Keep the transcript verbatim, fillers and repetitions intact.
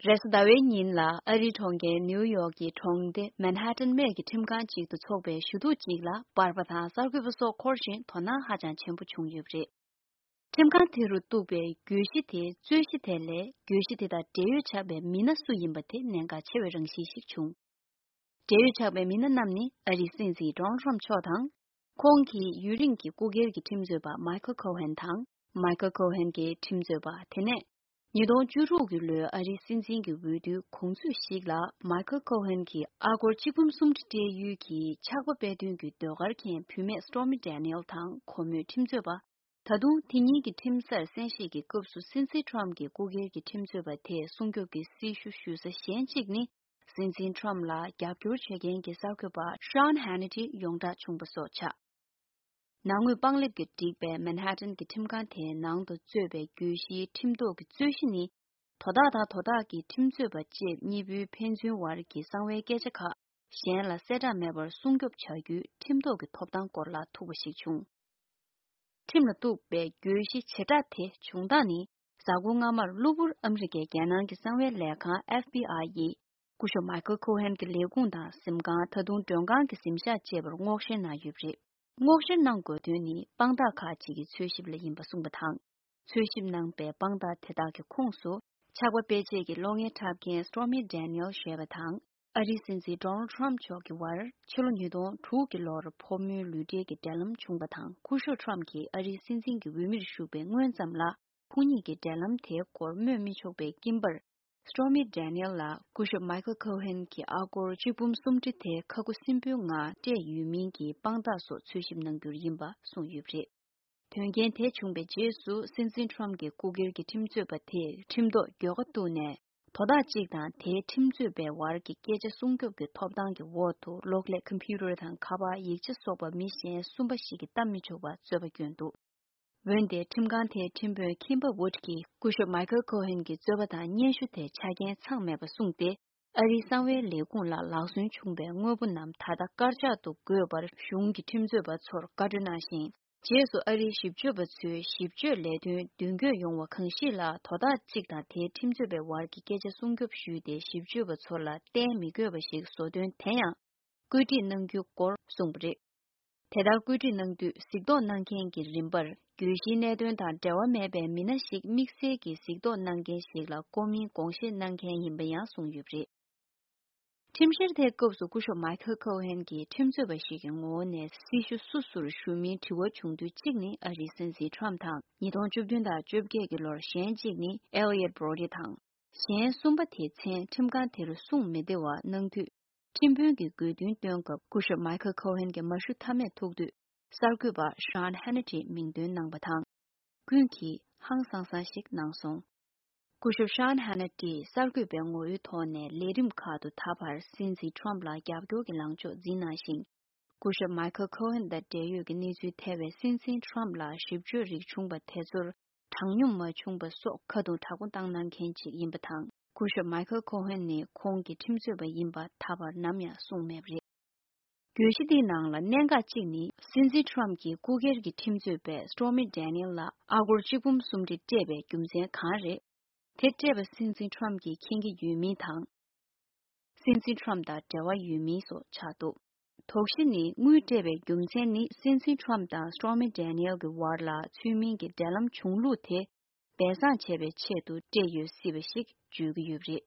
རེས་གཟའ་ཟླ་བའི་ཉིན་ལ་ཨ་རིའི་གྲོང་ཁྱེར་ནིའུ་ཡོག་གི་གྲོང་སྡེ་མན་ཧ་ཏན་སྨད་ཀྱི་ཁྲིམས་ཁང་ཅིག་ཏུ་འཚོགས་པའི་ཞུ་གཏུག་ཅིག་ལ་པར་པ་དང་གསར་འགོད་པ་སོགས་འཁོར་ཞིང་དོ་སྣང་ཧ་ཅང་ཆེན་པོ་བྱུང་ཡོད་པ་རེད། ཁྲིམས་ཁང་དེ་རུ་གཏུགས་པའི་གྱོད་གཞི་དེའི་རྩོད་གཞི་དེ་ལས་གྱོད་གཞི་དེ་དང་འབྲེལ་ཡོད་ཆགས་པའི་མི་སྣ་སུ་ཡིན་པ་དེ་གནད་འགག་ཆེ་བའི་རང་བཞིན་ཞིག་བྱུང་། འབྲེལ་ཡོད་ཆགས་པའི་མི་སྣ་རྣམས་ནི་ཨ་རིའི་སྲིད་འཛིན་ཌོ་ནལ་ཊམ་མཆོག་དང་། ཁོང་གི་ཡུན་རིང་གི་སྐུ་སྒེར་གྱི་ཁྲིམས་རྩོད་པ་མའི་ཁལ་ཁོ་ཧན་དང་། མའི་ཁལ་ཁོ་ཧན་གྱི་ཁྲིམས་རྩོད་པ་དེ་ནས། ཉིས་སྟོང་བཅུ་དྲུག་གི་ལོའི་ཨ་རིའི་སྲིད་འཛིན་གྱི་འོས་བསྡུའི་གོང་ཚོད་ཞིག་ལ་མའི་ཁལ་ཁོ་ཧན་གྱིས་ཨ་སྒོར་གཅིག་འབུམ་སུམ་ཁྲི་སྤྲད་ཡུལ་གྱི་ཆགས་པ་སྤེལ་དོན་གྱི་ཟློས་གར་མཁན་བུད་མེད་སི་ཊོ་རྨི་ཌེ་ནི་ཨེལ་དང་ཁོ་མོའི་ཁྲིམས་རྩོད་པ། ད་དུང་དེ་ཉིད་ཀྱི་ཁྲིམས་སར་གསན་བཞེས་ཀྱི་སྐབས་སུ་སྲིད་འཛིན་ཊམ་གྱི་སྐུ་སྒེར་གྱི་ཁྲིམས་རྩོད་པ་དེས་སྲུང་སྐྱོབ་ཀྱི་སྲི་ཞུ་ཞུ་ས་གཞན་གཅིག་ནི། སྲིད་འཛིན་ཊམ་ལ་རྒྱབ་སྐྱོར་བྱེད་མཁན་གྱི་གསར་འགོད་པ་ཤཱན་ཧེ་ནི་ཊི་ཡོངས་བསྒྲགས་བྱུང་བ་སོགས་ཆགས། ནང་དངོས་པང་ལེབ་ཀྱིས་བསྒྲིགས་པའི་མན་ཧ་ཏན་གྱི་ཁྲིམས་ཁང་དེའི་ནང་དུ་གཙོས་པའི་གྱོད་གཞིའི་ཁྲིམས་ཐོག་གི་རྩོད་གཞི་ནི། དོ་བདག་དང་དོ་བདག་གི་ཁྲིམས་རྩོད་པ་བཅས་གཉིས་པོའི་ཕན་ཚུན་བར་གྱི་གསང་བའི་སྐད་ཆ་ཁག་གཞན་ལ་གསལ་བསྒྲགས་མེད་པར་སྲུང་སྐྱོབ་བྱ་རྒྱུའི་ཁྲིམས་ཐོག་གི་ཐོབ་ཐང་སྐོར་ལ་ཐུག་པ་ཞིག་བྱུང་། ཁྲིམས་ལ་གཏུགས་པའི་གྱོད་གཞི་བྱེ་བྲག་དེ་བྱུང་སྟངས་ནི། གཟའ་འཁོར་སྔ་མར་གློ་བུར་ཨ་མི་རི་ཀའི་རྒྱལ་ནང་གི་གསང་བའི་ལས་ཁང་ཨེཕ་བི་ཨའི་ཡིས། སྐུ་ཞབས་མའི་ཁལ་ཁོ་ཧན་གྱི་ལས་ཁུངས་དང་གཟིམ་ཁང་། ད་དུང་མགྲོན་ཁང་གི་གཟིམ་ཤག་བཅས་པར་སྔོག་བཤེར་གནང་ཡོད་པ་རེད། སྔོག་བཤེར་གནང་དགོས་དོན་ནི་དཔང་རྟགས་ཁག་ཅིག་གི་འཚོལ་ཞིབ་ལ་ཡིན་པ་གསུངས་པ་དང་། འཚོལ་ཞིབ་གནང་པའི་དཔང་རྟགས་དེ་དག་གི་ཁོངས་སུ། ཆགས་པ་སྤེལ་ཆེད་ཀྱི་གློག་བརྙན་འཁྲབ་མཁན་སི་ཊོ་རྨི་ཌེ་ནི་ཨེལ་ཞེས་པ་དང་། ཨ་རིའི་སྲིད་འཛིན་ཌོ་ནལ་ཊམ་མཆོག་གི་བར་ཕྱི་ལོ་ཉིས་སྟོང་དྲུག་གི་ལོར་ཕོ་མོའི་ལུས་འབྲེལ་གྱི་འབྲེལ་ལམ་བྱུང་བ་དང་། སྐུ་ཞབས་ཊམ་གྱིས་ཨ་རིའི་སྲིད་འཛིན་གྱི་འོས་མིར་བཞུགས་པའི་སྔོན་ཙམ་ལ། ཁོ་གཉིས་ཀྱི་འབྲེལ་ལམ་དེའི་སྐོར་སྨོས་མི་ཆོག་པའི་སྐྱིན་པར། སི་ཊོ་རྨི་ཌེ་ནི་ཨེལ་ལ་སྐུ་ཞབས་མའི་ཁལ་ཁོ་ཧན་གྱིས་ཨ་སྒོར་གཅིག་འབུམ་སུམ་ཁྲི་དེ་ཁ་ཁུ་སིམ་པོའི་ངང་སྤྲད་ཡོད་མིན་གྱི་དཔང་རྟགས་སོགས་འཚོལ་ཞིབ་གནང་རྒྱུར་ཡིན་པ་གསུངས་ཡོད་པ་རེད། དོན་རྐྱེན་དེ་བྱུང་བའི་རྗེས་སུ། སྲིད་འཛིན་ཊམ་གྱི་སྐུ་སྒེར་གྱི་ཁྲིམས་རྩོད་པ་དེས་ཁྲིམས་ཐོག་འགྱོད་པ་བཏོན་ནས། དོ་བདག་གཅིག་དང་དེའི་ཁྲིམས་རྩོད་པའི་བར་གྱི་སྐད་ཆ་སྲུང་སྐྱོབ་ཀྱི་ཐོབ་ཐང་གི་འོག་ཏུ། གློག་ཀླད་ཀམ་པུ་ཊར་དང་ཁ་པར། ཡིག་ཆ་སོགས་པ་མི་གཞན་གསུམ་པ་ཞིག་གིས་བལྟ་མི་ཆོག་པར་རྩོད་པ་བསྐྱོན་འདུག་འོན་ཏེ། ཁྲིམས་ཁང་དེའི་ཁྲིམས་དཔོན་ཁིམ་པར་ཝུཌ་ཀྱིས་སྐུ་ཞབས་མའི་ཁལ་ཁོ་ཧན་གྱི་རྩོད་པ་དང་སྙན་ཞུ་དེ་ཆ་རྐྱེན་ཚང་མེད་པ་གསུངས་ཏེ། ཨ་རིའི་གསང་བའི་ལས་ཁུངས་ལ་ལག་སོན་བྱུང་བའི་དངོས་པོ་རྣམས་ད་ལྟ་དཀར་ཆག་ཏུ་བཀོད་པར་གཞུང་གི་ཁྲིམས་རྩོད་པ་ཚོར་བཀའ་འཁྲོལ་གནང་ཞིང་། རྗེས་སུ་ཨ་རིའི་ཞིབ་དཔྱོད་པ་ཚོས་ཞིབ་དཔྱོད་ལས་དོན་མདུན་སྐྱོད་ཡོང་བ་གང་ཞིག་ལ། དོ་བདག་གཅིག་དང་དེའི་ཁྲིམས་རྩོད་པའི་བར་གྱི་སྐད་ཆ་སྲུང་སྐྱོབ་ཞུས་ཏེ། ཞིབ་དཔྱོད་པ་ཚོ་ལ་གཏན་མི་དགོས་པ་ཞིག་བཟོ་དོན་དེ་ཡང་བཀོད་སྒྲིག་གནང་རྒྱུའི་སྐོར་གསུངས་པ་རེད། དེ་ལྟར་བཀོད་སྒྲིག་གནང་དུས། གཟིགས་རྟོག་གནང་མཁན་གྱི་རིམ་པར་གྱོད་གཞིའི་གནད་དོན་དང་འབྲེལ་བ་མེད་པའི་མི་སྣ་ཞིག་དམིགས་བསལ་གྱི་གཟིགས་རྟོག་གནང་མཁན་ཞིག་ལ་བསྐོ་མིན་དགོངས་བཞེས་གནང་མཁན་ཡིན་པ་ཡང་གསུངས་ཡོད་པ་རེད། ཁྲིམས་བཤེར་དེའི་སྐབས་སུ་སྐུ་ཞབས་མའི་ཁལ་ཁོ་ཧན་གྱིས་ཁྲིམས་རྩོད་པ་ཞིག་གི་ངོ་བོ་ནས་སྲི་ཞུ་སུ་སུར་ཞུ་མིན་དྲི་བ་བྱུང་དུས། གཅིག་ནི་ཨ་རིའི་སྲིད་འཛིན་ཊམ་དང་། ཉིས་སྟོང་བཅུ་བདུན་དང་བཅོ་བརྒྱད་ཀྱི་ལོར་གཞན་གཅིག་ནི་ཨེ་ལི་ཡོད་བྷྲོ་ཌི་དང་། གཞན་གསུམ་པ་དེའི་མཚན་ཁྲིམས་ཁང་དེར་གསུངས་མི་བདེ་བ་གནང་དུས། ཁྲིམས་དཔོན་གྱིས་དགོས་འདུན་བཏོན་སྐབས། སྐུ་ཞབས་མའི་ཁལ་ཁོ་ཧན་གྱི་མ་ཞུ་ཐབས་མེད་ཐུག་དུས། གསར་འགོད་པ་ཤཱན་ཧེ་ནི་ཊིས་མིང་འདོན་གནང་བ་དང་། ཀུན་གྱིས་ཧང་སང་སང་ཞིག་གནང་སོང་། སྐུ་ཞབས་ཤཱན་ཧེ་ནི་ཊིས་གསར་འགོད་པའི་ངོ་བོའི་ཐོག་ནས་ལས་རིམ་ཁག་ཏུ་ད་བར་སྲིད་འཛིན་ཊམ་ལ་རྒྱབ་སྐྱོར་གྱི་ལངས་ཕྱོགས་འཛིན་གནང་ཞིང་། སྐུ་ཞབས་མའི་ཁལ་ཁོ་ཧན་དང་འབྲེལ་ཡོད་ཀྱི་གནས་ཚུལ་ཐེ་བའི་སྲིད་འཛིན་ཊམ་ལ་ཞིབ་དཔྱོད་རིགས་བྱུང་པ་དེ་ཚོར། དྲང་སྙོམས་མ་བྱུང་པ་སོགས་ཁ་རྡུང་དྲག་པོ་བཏང་གནང་མཁན་ཅིག་ཡིན་པ་དང་། སྐུ་ཞབས་མའི་ཁལ་ཁོ་ཧན་ནི་ཁོང་གི་ཁྲིམས་རྩོད་པ་ཡིན་པ་ད་བར་ནམ་ཡང་གསུངས་མེད་པ་རེད། གྱོད་གཞི་འདིའི་ནང་ལ་གནད་འགག་ཅིག་ནི། སྲིད་འཛིན་ཊམ་གྱིས་སྐུ་སྒེར་གྱི་ཁྲིམས་རྩོད་པ་སི་ཊོ་རྨི་ཌེ་ནི་ཨེལ་ལ་ཨ་སྒོར་གཅིག་འབུམ་སུམ་ཁྲི་སྤྲད་པའི་རྒྱུ་མཚན་གང་རེད། དེ་སྤྲད་པ་སྲིད་འཛིན་ཊམ་གྱིས་མཁྱེན་གྱི་ཡོད་མིན་དང་། སྲིད་འཛིན་ཊམ་དང་འབྲེལ་བ་ཡོད་མིན་སོགས་ཆགས་འདུག་དོགས་གཞི་ནི། དངུལ་སྤྲད་པའི་རྒྱུ་མཚན་ནི། སྲིད་འཛིན་ཊམ་དང་སི་ཊོ་རྨི་ཌེ་ནི་ཨེལ་གྱི་བར་ལ་ཚུལ་མིན་གྱི་འབྲེལ་ལམ་བྱུང་ལུགས་དེ་སྦས་གསང་བྱེད་པའི་ཆེད་དུ་སྤྲད་ཡོད་སྲིད་པ་ཞིག་བརྗོད་ཀྱི་ཡོད་པ་རེད།